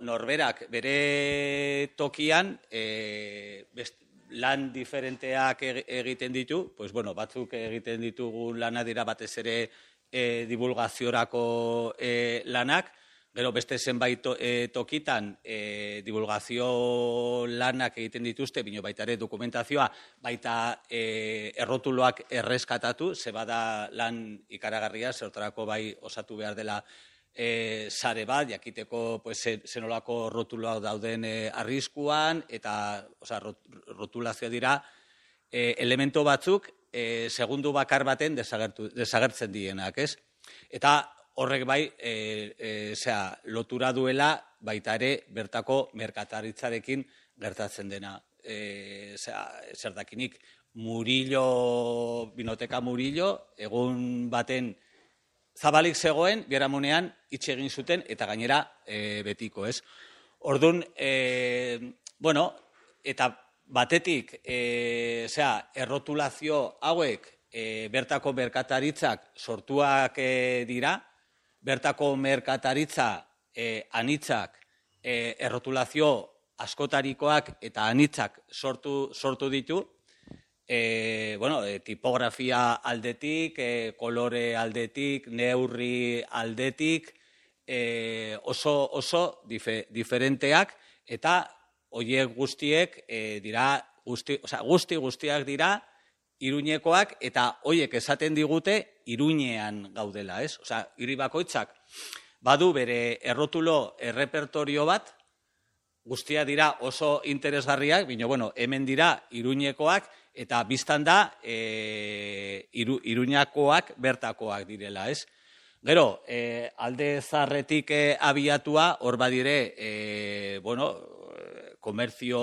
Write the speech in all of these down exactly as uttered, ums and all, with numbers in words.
norberak bere tokian e, best, lan diferenteak egiten ditu, pues bueno, batzuk egiten ditugu lana dira batez ere e, divulgaziorako e, lanak, gero beste zenbait to, e, tokitan e, divulgazio lanak egiten dituzte, bino baita ere dokumentazioa, baita e, errotuloak erreskatatu, ze bada lan ikaragarria, zertarako bai osatu behar dela e, sare bat, jakiteko pues, zenolako rotuloak dauden e, arriskuan, eta oza, rot, rotulazioa dira e, elemento batzuk e, segundu bakar baten desagertu, desagertzen dienak, ez? Eta horrek bai, e, e, zera, lotura duela baita ere bertako merkataritzarekin gertatzen dena. E, zera, zer dakinik, Murillo, Binoteka Murillo, egun baten zabalik zegoen, biharamunean itxe egin zuten, eta gainera e, betiko, ez? Orduan, e, bueno, eta batetik, e, zera, errotulazio hauek e, bertako merkataritzak sortuak e, dira, bertako merkataritza eh, anitzak eh, errotulazio askotarikoak eta anitzak sortu, sortu ditu, eh, bueno, eh, tipografia aldetik, eh, kolore aldetik, neurri aldetik, eh, oso, oso dife, diferenteak, eta horiek guztiek eh, dira, guzti, oza, guzti guztiak dira, Iruñekoak, eta hoiek esaten digute Iruñean gaudela, ez? Osea, hiri bakoitzak badu bere errotulo errepertorio bat, guztia dira oso interesgarriak, baina, bueno, hemen dira Iruñekoak, eta biztan da e, iru, Iruñakoak bertakoak direla, ez? Gero, e, alde zarretik e, abiatua, hor badire, e, bueno, komerzio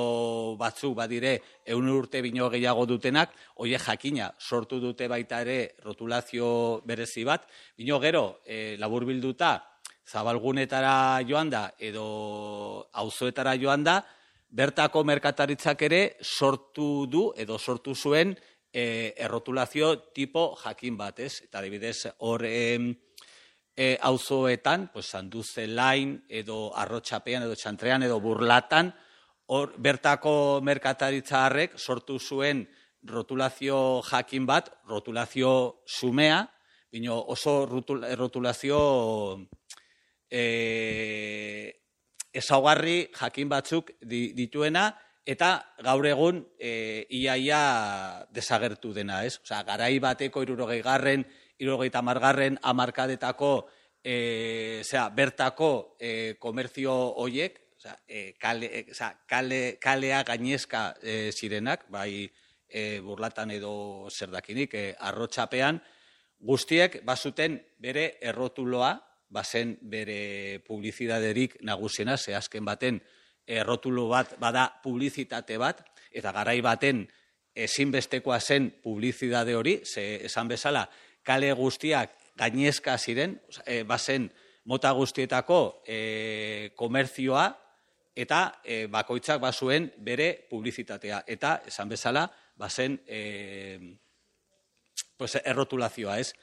batzuk badire ehun urte bino gehiago dutenak, hoie jakina sortu dute baita ere rotulazio berezi bat, bino gero e, laburbilduta zabalgunetara joan da edo auzoetara joan da, bertako merkataritzak ere sortu du edo sortu zuen e, errotulazio tipo jakin bat, ez? Eta adibidez hor e, e, auzoetan, pues, Sanduzelain edo Arrotxapean edo Txantrean edo Burlatan, hor bertako merkataritza harrek sortu zuen rotulazio jakin bat, rotulazio sumea, bino oso rotulazio e, ezaugarri jakin batzuk dituena, eta gaur egun e, iaia desagertu dena, ez? Osea, garai bateko hirurogei garren, hirurogei tamargarren hamarkadetako e, zera, bertako e, komerzio hoiek, Osa, e, kale, e, oza, kale, kalea gainezka e, zirenak, bai e, Burlatan edo zerdakinik, e, Arrotxapean, guztiek bazuten bere errotuloa, bazen bere publizidaderik nagusiena, ze azken baten errotulo bat bada publizitate bat, eta garai baten ezinbestekoa zen publizidade hori, ze esan bezala, kale guztiak gainezka ziren, oza, e, bazen mota guztietako e, komerzioa, eta e, bakoitzak bazuen bere publizitatea. Eta, esan bezala, bazen e, pues, errotulazioa, ez?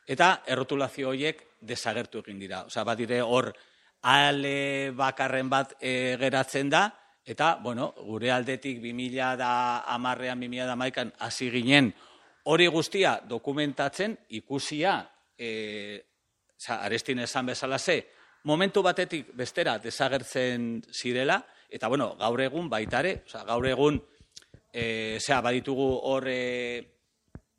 Eta errotulazio horiek desagertu egin dira. Osea, badire hor ale bakarren bat e, geratzen da, eta, bueno, gure aldetik bi mila hamarrean, bi mila hamaikan hasi ginen hori guztia dokumentatzen, ikusia, e, oza, Arestin esan bezala ze, momentu batetik bestera desagertzen zirela, eta, bueno, gaur egun baitare, oza, gaur egun, e, zera, baditugu hor e,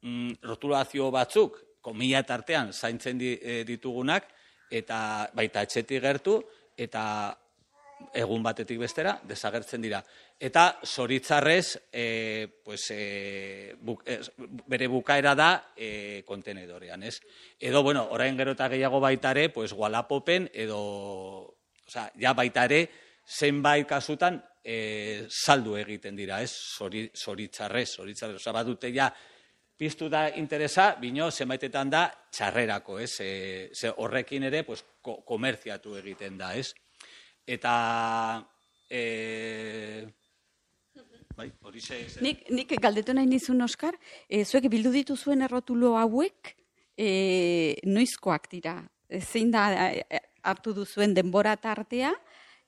mm, rotulazio batzuk, komila tartean zaintzen di, e, ditugunak, eta baita etxetik gertu, eta egun batetik bestera desagertzen dira. Eta zoritzarrez, e, pues, e, buk, e, bere bukaera da e, kontenedorean, ez? Edo, bueno, orain gero eta gehiago baitare, pues, Walapopen, edo, oza, ja baitare, zenbait kasutan e, saldu egiten dira, ez? Zori, zoritzarrez, zoritzarrez, oza, badute ja, piztu da interesa, bino, zenbaitetan da, txarrerako, ez? E, ze horrekin ere, pues, ko, komerziatu egiten da, ez? Eta, e, bai, hori ze... Nik, nik galdetu nahi nizun, Oskar, e, zuek bildu dituzuen errotulo hauek, e, noizkoak dira? Zein da e, hartu duzuen denbora tartea,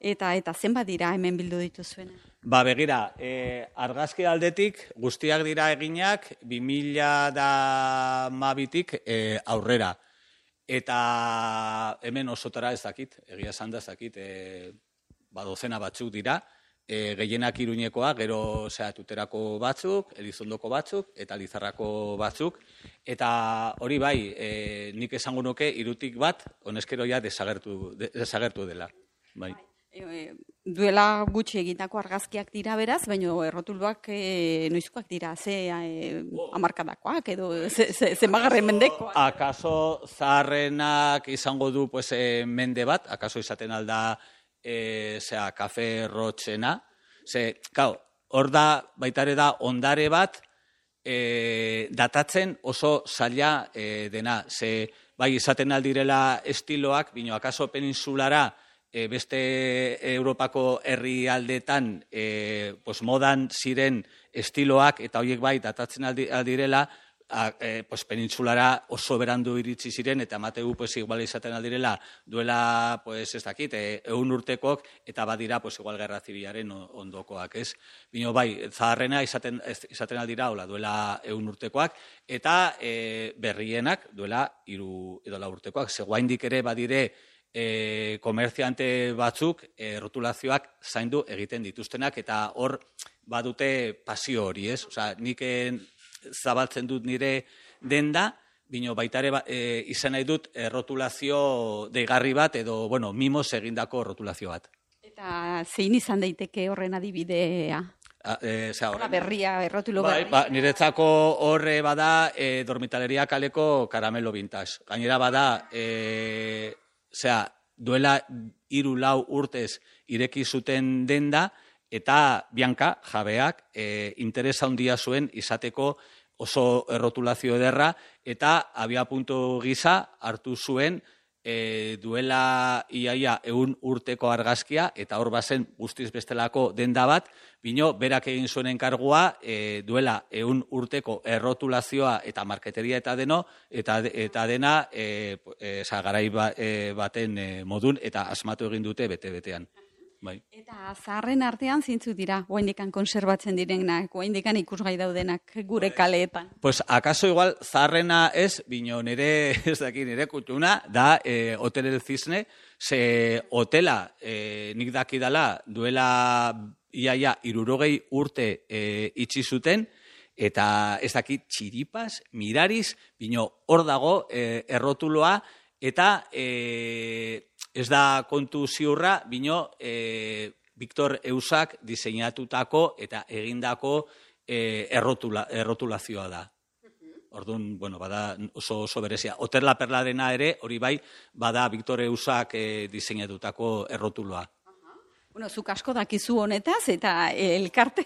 eta eta zenbat dira hemen bildu dituzuena? Ba, begira, e, argazki aldetik guztiak dira eginak bi mila hamabitik e, aurrera. Eta hemen osotara ez dakit, egia esan da ez dakit, e, ba, dozena batzuk dira, e, gehienak Iruñekoa, gero zera, Tuterako batzuk, Elizondoko batzuk, eta Lizarrako batzuk. Eta hori bai, e, nik esango nuke Irutik bat, honezkero ja desagertu, desagertu dela. Bai. E, duela gutxi egitako argazkiak dira beraz, baina errotuluak e, noizkoak dira, ze e, amarkadakoak edo ze, ze, ze magarren mendekoak. Akaso zaharrenak izango du pues, e, mende bat, akaso izaten alda e, zera, kafe rotxena. Ze, kau, hor da, baitare da, ondare bat e, datatzen oso zaila e, dena. Ze, bai, izaten aldirela estiloak, bino akaso peninsulara, E, beste Europako herrialdetan e, pues modan ziren estiloak eta horiek bai datatzen aldi, aldirela a, e, pues penintsulara oso berandu iritsi ziren eta emategu pues igual izaten aldirela duela pues ez dakit e, ehun urtekok eta badira pues igual gerra zibilaren ondokoak, ez? Bino bai, zaharrena izaten izaten aldira hola duela ehun urtekoak eta e, berrienak duela hiru edo lau urtekoak. Ze oraindik ere badire E, komerziante batzuk e, rotulazioak zaindu egiten dituztenak eta hor badute pasio hori, ez? Osea, nik zabaltzen dut nire denda, bino baitare ba, e, izan nahi dut e, rotulazio deigarri bat edo, bueno, mimos egindako rotulazio bat. Eta zein izan daiteke horren adibidea? A, e, zera, Horra berria, errotulo bai, berria. Ba, niretzako horre bada e, dormitaleria kaleko karamelo vintage. Gainera bada... E, Osea, duela hiru lau urtez ireki zuten denda eta Bianca jabeak e, interesa handia zuen izateko oso errotulazio ederra eta abia puntu gisa hartu zuen e, duela iaia ehun urteko argazkia eta hor bazen guztiz bestelako denda bat, bino berak egin zuen enkargua e, duela ehun urteko errotulazioa eta marketeria eta deno eta eta dena e, e, garai ba, e, baten e, modun eta asmatu egin dute bete-betean. Bai. Eta zaharren artean zintzu dira, oraindikan konserbatzen direnak, oraindikan ikusgai daudenak gure kaleetan. Pues akaso igual zaharrena ez, bino nire, ez daki, nire kutuna, da e, Hotel El Cisne, ze hotela e, nik dakidala duela iaia irurogei urte e, itxi zuten, eta ez dakit txiripas, mirariz, bino hor dago e, errotuloa, eta... E, Ez da kontu ziurra, bino e, Victor Eusak diseinatutako eta egindako e, errotula, errotulazioa da. Orduan, bueno, bada oso, oso berezia. Hotel La Perlarena ere, hori bai, bada Victor Eusak e, diseinatutako errotuloa. Bueno, zuk asko dakizu honetaz, eta elkarte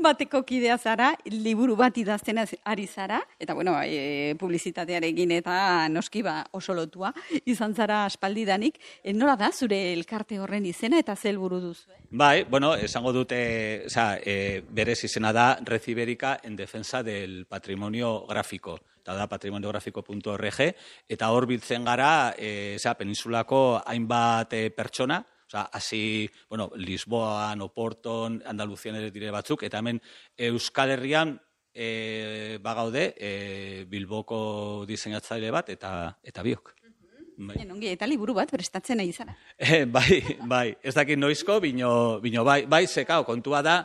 bateko kidea zara, liburu bat idazten ari zara, eta bueno, e, publizitatearekin eta noski ba oso lotua izan zara aspaldidanik. E, nola da zure elkarte horren izena eta ze helburu duzu? Eh? Bai, bueno, esango dute, o sea, e, berez izena da Red Ibérica en defensa del patrimonio gráfico. Eta da patrimoniografiko puntu org, eta hor biltzen gara, e, o sea, peninsulako hainbat e, pertsona, Osa, hasi, bueno, Lisboan, Oporton, Andaluzian ere dire batzuk, eta hemen Euskal Herrian e, bagaude e, Bilboko diseinatzaile bat, eta eta biok. Bai. Enongi, eta liburu bat prestatzen nahi zara. E, bai, bai, ez dakit noizko, bino, bino bai, bai, zekao, kontua da,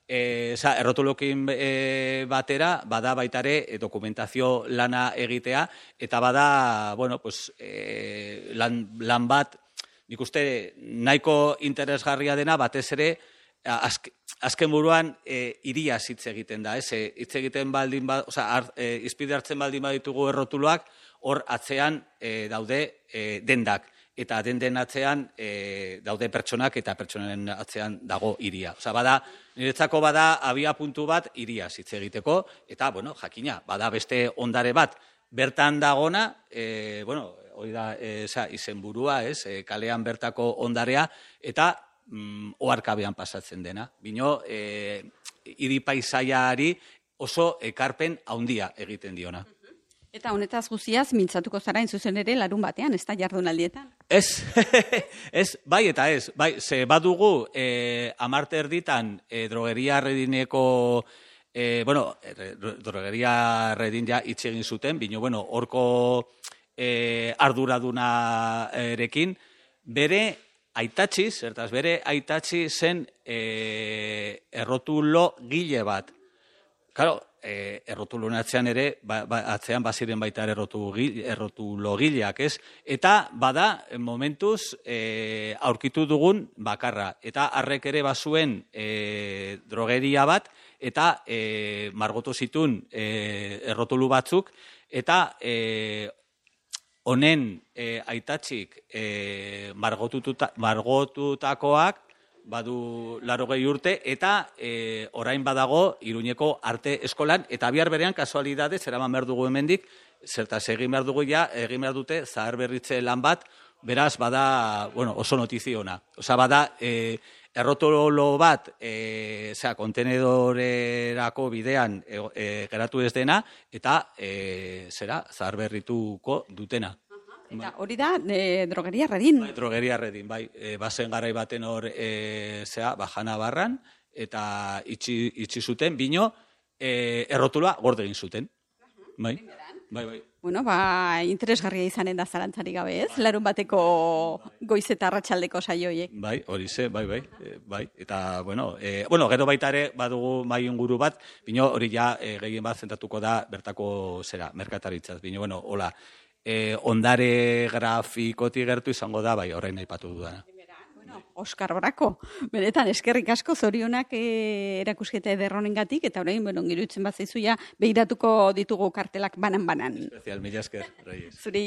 e, za, errotulokin e, batera, bada baitare e, dokumentazio lana egitea, eta bada, bueno, pues, e, lan, lan bat, nik uste nahiko interesgarria dena batez ere azke, azken buruan e, iria hitz egiten da, ez? E, hitz egiten baldin ba, osea, ar, e, izpide hartzen baldin baditugu errotuloak, hor atzean e, daude e, dendak eta den atzean e, daude pertsonak eta pertsonen atzean dago iria. Osea, bada niretzako bada abia puntu bat iria hitz egiteko eta bueno, jakina, bada beste ondare bat bertan dagona, e, bueno, hori da, e, izenburua, ez, e, kalean bertako ondarea, eta mm, oharkabean pasatzen dena. Bino, e, hiri paisaiari oso ekarpen handia egiten diona. Eta honetaz guziaz, mintzatuko zara zuzen ere larun batean, ez da jardunaldietan? Ez, ez, bai eta ez, bai, ze badugu e, amarte erditan e, drogeria redineko, e, bueno, e, drogeria redin ja hitz egin zuten, bino, bueno, horko e, arduradunarekin, bere aitatzi, zertaz, bere aitatzi zen e, errotulo gile bat. Claro, E, errotulun atzean ere, ba, ba, atzean baziren baita errotu, errotulo gileak, ez? Eta bada, momentuz, e, aurkitu dugun bakarra. Eta harrek ere bazuen e, drogeria bat, eta e, margotu zitun e, errotulu batzuk, eta e, honen e, aitatxik e, margotututa, margotutakoak, badu larogei urte, eta e, orain badago Iruñeko arte eskolan, eta bihar berean kasualidadez, eraman behar dugu hemendik, zertaz egin behar dugu ja, egin behar dute zahar berritze lan bat, beraz bada, bueno, oso notiziona. Osa bada, e, errotolo bat, e, zera, kontenedorerako bidean e, e, geratu ez dena, eta, e, zera, zahar berrituko dutena. Eta hori da, e, drogeria redin. Bai, drogeria redin, bai. E, bazen garai baten hor, e, zera, bajana barran, eta itxi, itxi zuten, bino, e, errotuloa gorde egin zuten. Bai, bai, bai. Bueno, ba, interesgarria izanen da zalantzari gabe, ez? Larun bateko goiz eta arratsaldeko saioiek. Bai, hori ze, bai, bai, e, bai. Eta, bueno, e, bueno, gero baita ere badugu mai inguru bat, bino hori ja e, gehien bat zentatuko da bertako, zera, merkataritzaz. Bino, bueno, hola, E, ondare grafikotik gertu izango da, bai, orain aipatu dudana. Bueno, Oskar Brako, benetan eskerrik asko zorionak e, erakusketa ederronengatik, eta orain, bueno, girutzen bat zaizu ja, behiratuko ditugu kartelak banan-banan. Especial, mila esker, Reyes. Zuri.